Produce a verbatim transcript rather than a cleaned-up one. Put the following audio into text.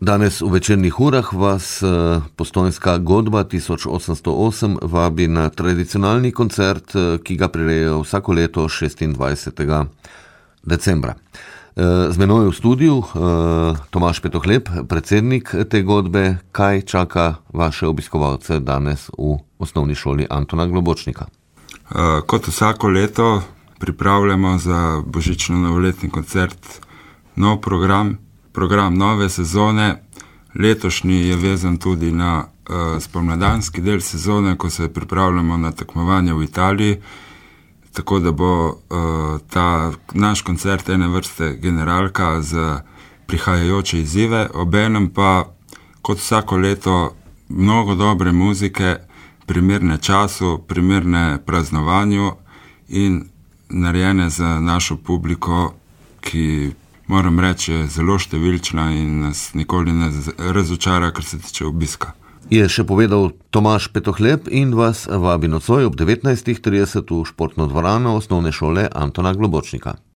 Danes v večernih urah vas Postojnska godba tisoč osemsto osem vabi na tradicionalni koncert, ki ga prirejajo vsako leto šestindvajsetega decembra. Z menoj v studiu Tomaž Petohlep, predsednik te godbe. Kaj čaka vaše obiskovalce danes v osnovni šoli Antona Globočnika? Kot vsako leto pripravljamo za božično-novoletni koncert nov program, program nove sezone. Letošnji je vezan tudi na uh, spomladanski del sezone, ko se pripravljamo na tekmovanje v Italiji, tako da bo uh, ta naš koncert ene vrste generalka za prihajajoče izzive, obenem pa kot vsako leto mnogo dobre muzike, primerne času, primerne praznovanju in narejene za našo publiko, ki moram reči, je zelo številčna in nas nikoli ne razočara, kar se tiče obiska. Je še povedal Tomaž Petohlep in vas vabi nocoj ob devetnajstih trideset v športno dvorano osnovne šole Antona Globočnika.